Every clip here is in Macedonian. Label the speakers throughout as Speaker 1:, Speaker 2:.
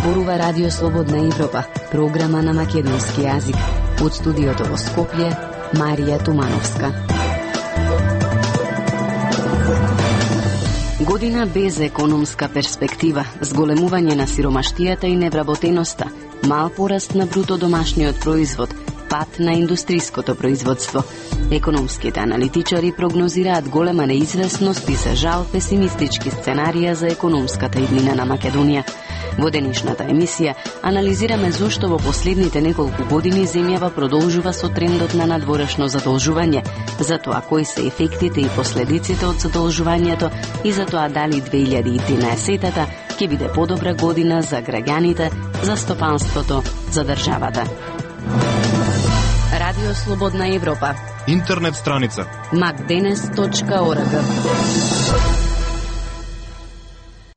Speaker 1: зборува Радио Слободна Европа, програма на македонски јазик. Од студиото во Скопје, Марија Тумановска. Година без економска перспектива, зголемување на сиромаштијата и невработеноста, мал пораст на бруто домашниот производ, пат на индустриското производство. Економските аналитичари прогнозираат голема неизвестност и за жал песимистички сценарија за економската иднина на Македонија. Во денешната емисија анализираме зошто во последните неколку години земјава продолжува со трендот на надворешно задолжување, за тоа кои се ефектите и последиците од задолжувањето и за тоа дали 2013-та ќе биде подобра година за граѓаните, за стопанството, за државата. Радио Слободна Европа.
Speaker 2: Интернет страница
Speaker 1: macdenes.org.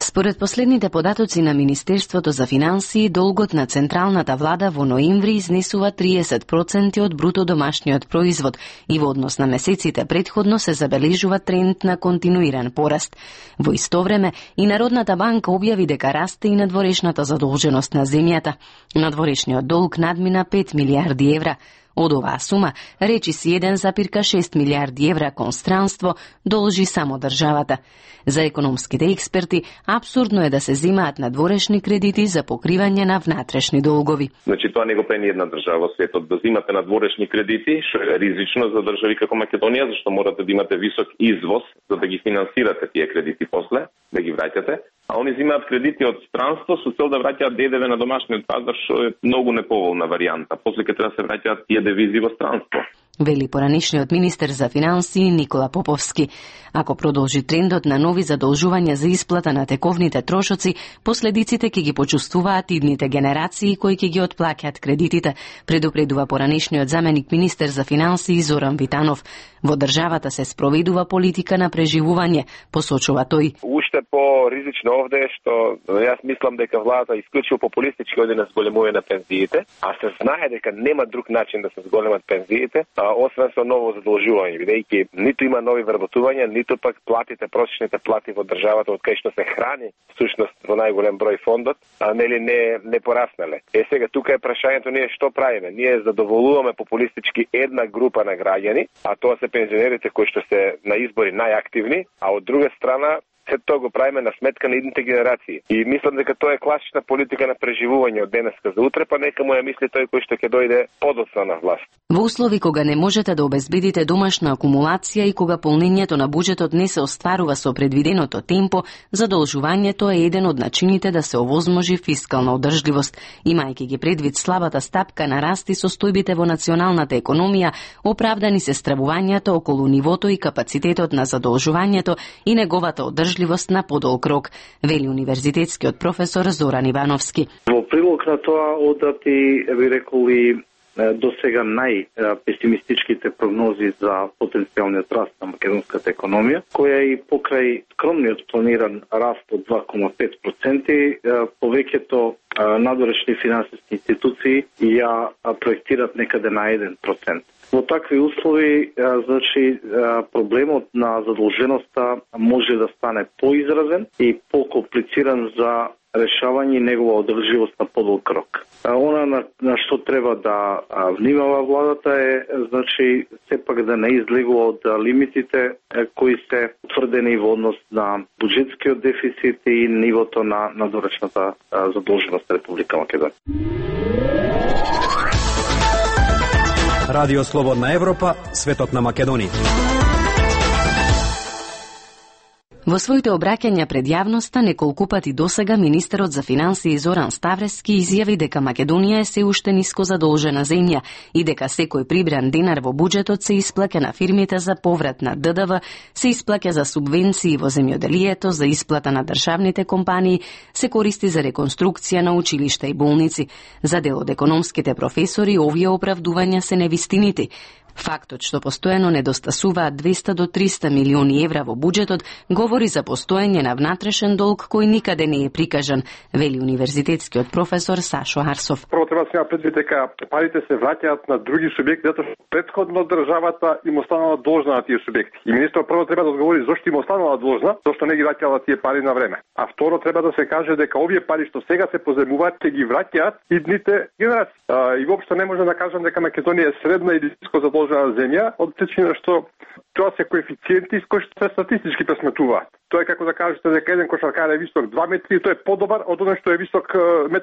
Speaker 1: Според последните податоци на Министерството за финансии, долгот на централната влада во ноември изнесува 30% од бруто домашниот производ и во однос на месеците претходно се забележува тренд на континуиран пораст. Во исто време и Народната банка објави дека расте и надворешната задолженост на земјата. Надворешниот долг надмина 5 милиарди евра. Од оваа сума, речиси 1,6 милиарди евра кон странство должи само државата. За економските експерти, абсурдно е да се земаат надворешни кредити за покривање на внатрешни долгови.
Speaker 3: Значи, тоа не го прави ни една држава во светот, да земате надворешни кредити, што е ризично за држави како Македонија, зашто морате да имате висок извоз за да ги финансирате тие кредити после, да ги враќате. А они земаат кредити од странство со цел да враќаат ДДВ на домашниот пазар, што е многу неповолна варијанта. После ќе треба да се враќаат тие девизи во странство.
Speaker 1: Вели поранишниот министер за финансии Никола Поповски. Ако продолжи трендот на нови задолжувања за исплата на тековните трошоци, последиците ќе ги почувствуваат идните генерации кои ќе ги отплаќаат кредитите, предупредува поранишниот заменик министер за финансии Зоран Витанов. Во државата се спроведува политика на преживување, посочува тој.
Speaker 4: Уште по-ризично овде е што јас мислам дека владата исклучиво популистички оди на зголемување на пензиите, а се знае дека нема друг начин да се зголемат пензиите, освен со ново задолжување, бидејќи ниту има нови вработувања, ниту пак платите, просечните плати во државата од кај што се храни всушност во најголем број фондот, не пораснале. Сега тука е прашањето ние што правиме? Ние задоволуваме популистички една група на граѓани, а тоа се пензионерите кои што се на избори најактивни, а од друга страна се тоа го правиме на сметка на идните генерации. И мислам дека тоа е класична политика на преживување од денеска за утре, па нека му ја мисли тој кој што ќе дојде подоцна на власт.
Speaker 1: Во услови кога не можете да обезбедите домашна акумулација и кога полнењето на буџетот не се остварува со предвиденото темпо, задолжувањето е еден од начините да се овозможи фискална одржливост. Имајќи ги предвид слабата стапка на раст и состојбите во националната економија, оправдани се стравувањата околу нивото и капацитетот на задолжувањето и неговата одржливост на подолг рок, вели универзитетскиот професор Зоран Ивановски.
Speaker 5: Во прилог на тоа одати, би реколи, до сега најпесимистичките прогнози за потенцијалниот раст на македонската економија, која и покрај скромниот планиран раст од 2,5%, повеќето надворешни финансиски институции ја проектират некаде на 1%. Во такви услови, значи, проблемот на задолженоста може да стане поизразен и покомплициран за решавање и негова одржливост на подолг рок. Она на што треба да внимава владата е, значи, сепак да не излегува од лимитите кои се утврдени во однос на буџетскиот дефицит и нивото на надворешната задолженост на Република Македонија.
Speaker 6: Радио Слободна Европа, светот на Македонија.
Speaker 1: Во своите обраќања пред јавноста неколку пати досега министерот за финансии Зоран Ставрески изјави дека Македонија е се уште ниско задолжена земја и дека секој прибран денар во буџетот се исплаќа на фирмите за поврат на ДДВ, се исплаќа за субвенции во земјоделието, за исплата на државните компании, се користи за реконструкција на училишта и болници. За дел од економските професори овие оправдувања се невистините. Фактот што постојано недостасуваат 200 до 300 милиони евра во буџетот говори за постоење на внатрешен долг кој никаде не е прикажан, вели универзитетскиот професор Сашо Арсов.
Speaker 2: Прво треба да се има предвид дека парите се враќаат на други субјекти затоа што претходно државата им останала должна на тие субјекти. И министерот прво треба да одговори зошто им останала должна, зашто не ги враќала тие пари на време. А второ треба да се каже дека овие пари што сега се позајмуваат ќе ги враќаат идните генерации. И воопшто не може да кажам дека Македонија е средна или ниско задолжена земја, од причина што тоа се коефициенти кои што се статистички пресметуваат. Тоа е како да кажете дека еден кошаркар е висок 2 метри и тој е подобар од оној што е висок 1,90 м.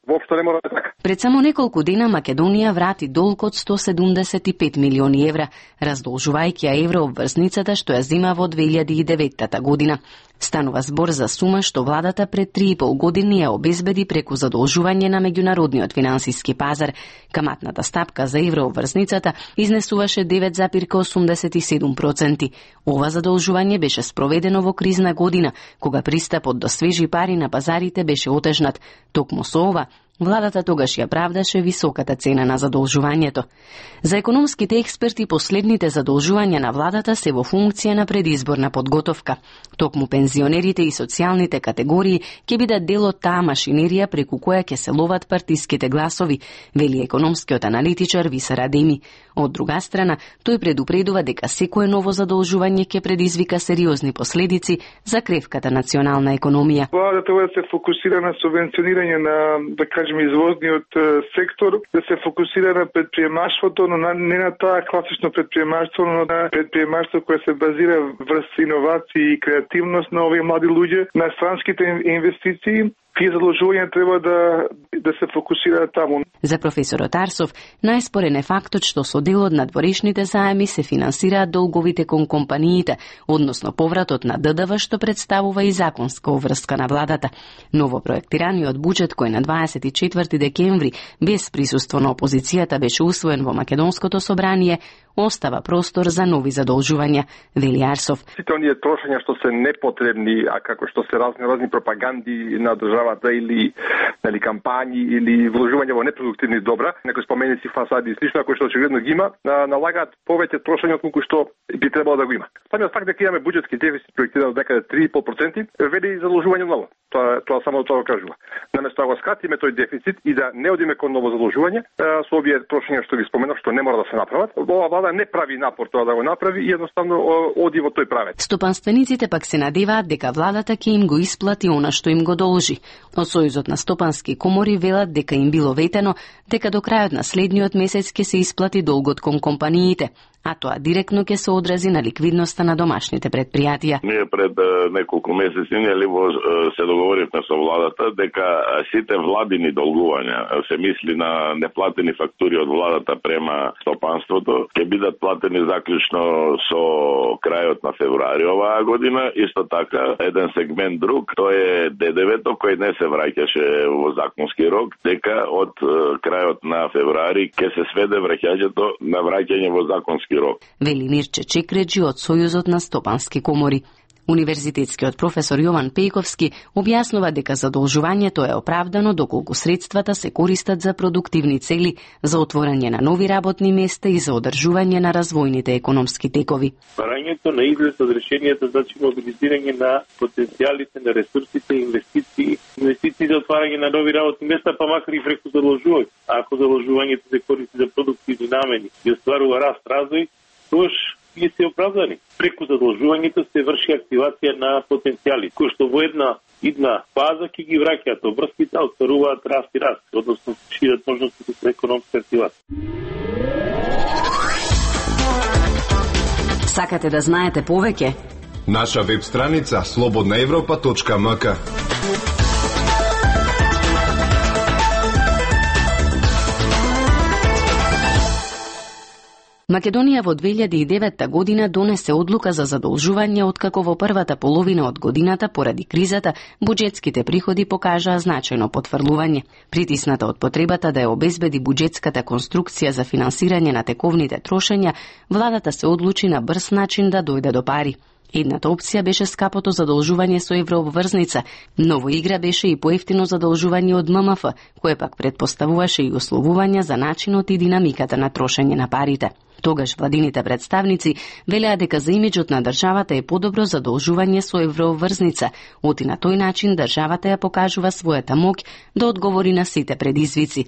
Speaker 2: Воопшто не мора да е така.
Speaker 1: Пред само неколку дена Македонија врати долг од 175 милиони евра, раздолжувајќи ја еврообврсницата што ја зима во 2009 година. Станува збор за сума што владата пред 3,5 години ја обезбеди преку задолжување на меѓународниот финансиски пазар. Каматната стапка за еврообврсницата изнесуваше 9,87%. Ова задолжување беше спроведено во кризна година, кога пристапот до свежи пари на пазарите беше отежнат. Токму со ова, владата тогаш ја правдаше високата цена на задолжувањето. За економските експерти последните задолжувања на владата се во функција на предизборна подготовка. Токму пензионерите и социјалните категории ќе бидат дел од таа машинерија преку која ќе се ловат партиските гласови, вели економскиот аналитичар Висар Адеми. Од друга страна, тој предупредува дека секое ново задолжување ќе предизвика сериозни последици за кревката национална економија.
Speaker 7: Владата треба да се фокусира на субвенционирање на, да кажем, извозниот сектор, да се фокусира на предприемаштвото, но не на тоа класично предприемаштво, но на предприемаштво кое се базира врз иновации и креативност на овие млади луѓе, на странските инвестиции. Тие задолжувања треба да се фокусираат таму.
Speaker 1: За професорот Арсов, најспорен е фактот што со дел од надворешните заеми се финансираат долговите кон компаниите, односно повратот на ДДВ што представува и законска обврска на владата. Ново проектираниот буџет кој на 24 декември без присуство на опозицијата беше усвоен во Македонското собрание, остава простор за нови задолжувања, вели Арсов.
Speaker 2: Сите оние трошења што се непотребни, а како што се разни пропаганди на државата или кампањи или вложување во непродуктивни добра, некои споменици, фасади и слично, кои што очигледно ги има, налагаат повеќе трошење од колку што би требало да го има. Самиот факт дека имаме буџетски дефицит проектиран од некаде 3,5%, вели задолжување ново. Тоа само тоа го кажува. Наместо да го скратиме тој дефицит и да не одиме кон ново задолжување, со овие трошења што ги споменав, што не мора да се направат, ова влада не прави напор тоа да го направи и едноставно оди во тој правец.
Speaker 1: Стопанствениците пак се надеваат дека владата ќе им го исплати она што им го должи. Од Сојузот на стопански комори велат дека им било ветено дека до крајот на следниот месец ќе се исплати долгот кон компаниите, а тоа директно ќе се одрази на ликвидноста на домашните предпријатија.
Speaker 8: Ние пред неколку месеци се договоривме со владата дека сите владини долгувања, се мисли на неплатени фактури од владата према стопанството, ќе бидат платени заклучно со крајот на февруари оваа година. Исто така, еден сегмент друг, тоа е ДДВ-то кој не се враќаше во законски рок, дека од крајот на февруари ќе се сведе враќањето на враќање во законски рок.
Speaker 1: Вели Мирче Чекреджи од Сојузот на стопански комори. Универзитетскиот професор Јован Пејковски објаснува дека задолжувањето е оправдано доколку средствата се користат за продуктивни цели, за отворање на нови работни места и за одржување на развојните економски текови.
Speaker 9: Барањето на излез од решението значи мобилизирање на потенцијалите на ресурсите, инвестиции за отварање на нови работни места, па макар и преку задолжување. Ако задолжувањето се користи за продуктивни намени и остварува раст, развој, тоа и се оправдани. Преку задолжувањето се врши активација на потенцијали, кои што во една идна фаза ќе ги враќаат обврските, остваруваат раст и раст, односно шират можностите за економска активација.
Speaker 1: Сакате да знаете повеќе?
Speaker 10: Наша веб страница slobodnaevropa.mk.
Speaker 1: Македонија во 2009 година донесе одлука за задолжување, откако во првата половина од годината поради кризата буџетските приходи покажаа значајно потврлување. Притисната од потребата да ја обезбеди буџетската конструкција за финансирање на тековните трошења, владата се одлучи на брз начин да дојде до пари. Едната опција беше скапото задолжување со еврообврзница, но во игра беше и поевтино задолжување од ММФ, кое пак предпоставуваше и условувања за начинот и динамиката на трошење на парите. Тогаш владините представници велеа дека за имиџот на државата е подобро задолжување со еврообврзница, оти на тој начин државата ја покажува својата моќ да одговори на сите предизвици.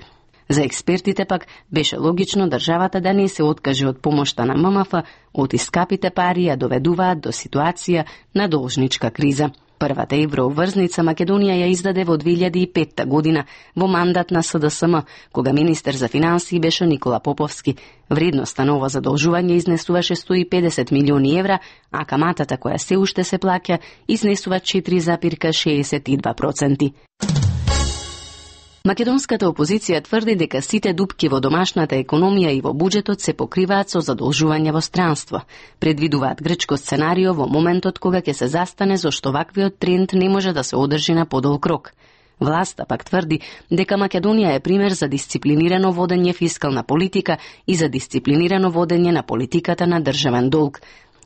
Speaker 1: За експертите пак беше логично државата да не се откаже од помошта на ММФ, оти скапите пари ја доведуваат до ситуација на должничка криза. Првата еврообврзница Македонија ја издаде во 2005 година во мандат на СДСМ, кога министер за финансии беше Никола Поповски. Вредноста на ова задолжување изнесуваше 150 милиони евра, а каматата која се уште се плаќа изнесува 4,62%. Македонската опозиција тврди дека сите дупки во домашната економија и во буџетот се покриваат со задолжување во странство. Предвидуваат грчко сценарио во моментот кога ќе се застане зашто ваквиот тренд не може да се одржи на подолг рок. Власта пак тврди дека Македонија е пример за дисциплинирано водење фискална политика и за дисциплинирано водење на политиката на државен долг.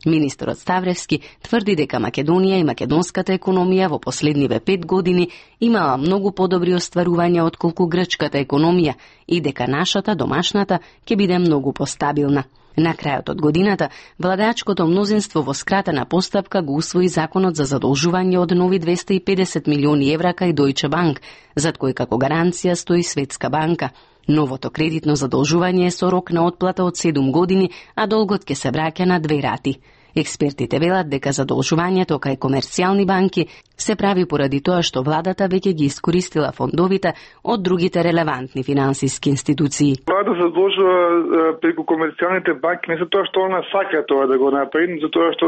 Speaker 1: Министерот Ставревски тврди дека Македонија и македонската економија во последниве 5 години имала многу подобри остварувања отколку грчката економија и дека нашата домашната ќе биде многу постабилна. На крајот од годината, владеачкото мнозинство во скратена постапка го усвои законот за задолжување од нови 250 милиони евра кај Deutsche Bank, зад кој како гаранција стои Светска банка. Новото кредитно задолжување е со рок на отплата од 7 години, а долгот ќе се враќа на 2 рати. Експертите велат дека задолжувањето кај комерцијални банки се прави поради тоа што владата веќе ги искористила фондовите од другите релевантни финансиски институции.
Speaker 7: Влада задолжува преку комерцијалните банки не за тоа што она сака тоа да го направи, затоа што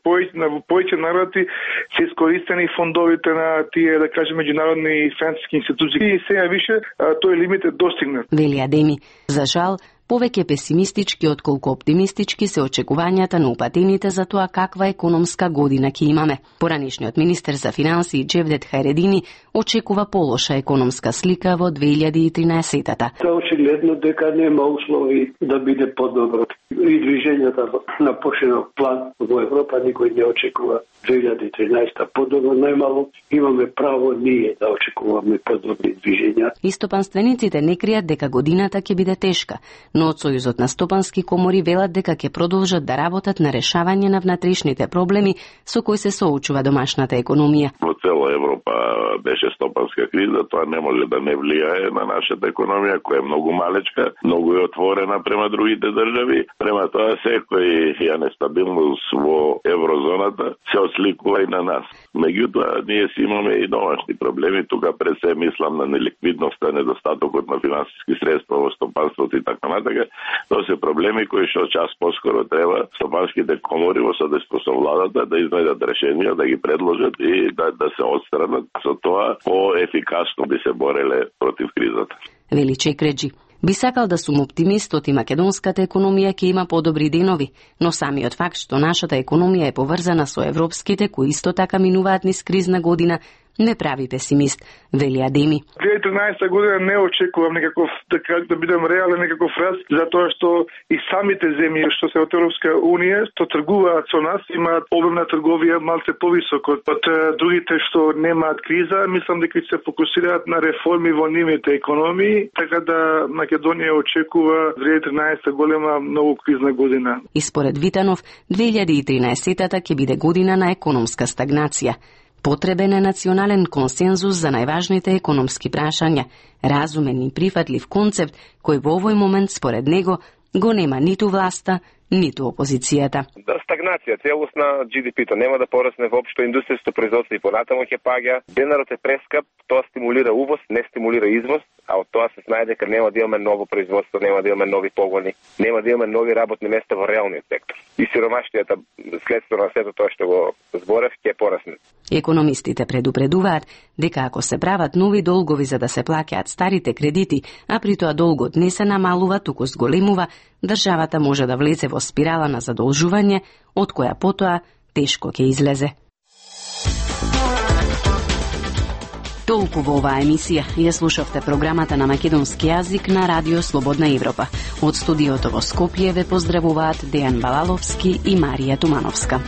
Speaker 7: повеќе народи се искористени фондовите на тие, да кажем, меѓународни финансиски институции и сега више тој лимит е достигнат.
Speaker 1: Вели Адеми, за жал, повеќе песимистички отколку оптимистички се очекувањата на упатените за тоа каква економска година ќе имаме. Поранешниот министер за финансии Джевдет Хајредини очекува полоша економска слика во 2013-та.
Speaker 11: Очигледно дека нема услови да биде подобро. И движењата на поширок план во Европа никој не очекува 2013 подобро, најмало имаме право ние да очекуваме подобри движења.
Speaker 1: И стопанствениците не кријат дека годината ќе биде тешка, но од Сојузот на стопански комори велат дека ќе продолжат да работат на решавање на внатрешните проблеми со кои се соочува домашната економија.
Speaker 8: Во цела Европа беше стопанска криза, тоа не може да не влијае на нашата економија, која е многу малечка, многу е отворена према другите држави. Према тоа секоја нестабилност во еврозоната се осликува и на нас. Меѓутоа, ние си имаме и домашни проблеми, тука пред се мислам на неликвидноста, недостатокот на финансиски средства во стопанството и така натака. Тоа се проблеми кои што час поскоро треба стопанските комори во содейство со владата да изнајдат решенија, да ги предложат и да се отстранат. Со тоа по-ефикасно би се бореле против кризата.
Speaker 1: Вели Чекреджи. Би сакал да сум оптимист и македонската економија ќе има подобри денови, но самиот факт што нашата економија е поврзана со европските кои исто така минуваат низ кризна година, не прави песимист, вели Адеми.
Speaker 7: 2013 година не очекувам некаков, да бидам реален, некаков раст, затоа што и самите земји што се од Европска Унија, што тргуваат со нас, имаат обем на трговија малце повисок од другите што немаат криза. Мислам дека ќе се фокусираат на реформи во нивните економии, така да Македонија очекува 2013 голема многу кризна година.
Speaker 1: И според Витанов, 2013-та ќе биде година на економска стагнација. Потребен е национален консензус за најважните економски прашања, разумен и прифатлив концепт кој во овој момент според него го нема ниту власта, ниту опозицијата.
Speaker 4: Стагнација, целосна GDP-то нема да порасне воопшто, индустријското производство и понатаму ќе паѓа, денарот е прескап, тоа стимулира увоз, не стимулира извоз, а од тоа се знае дека нема да имаме ново производство, нема да имаме нови погони, нема да имаме нови работни места во реалниот сектор. И сиромаштијата следство на сето тоа што го зборев ќе порасне.
Speaker 1: Економистите предупредуваат дека ако се прават нови долгови за да се плаќаат старите кредити, а при тоа долгот не се намалува, туку зголемува, државата може да влезе во спирала на задолжување, од која потоа тешко ќе излезе. Толку во оваа емисија. Ја слушавте програмата на македонски јазик на Радио Слободна Европа. Од студиото во Скопје ве поздравуваат Дејан Балаловски и Марија Тумановска.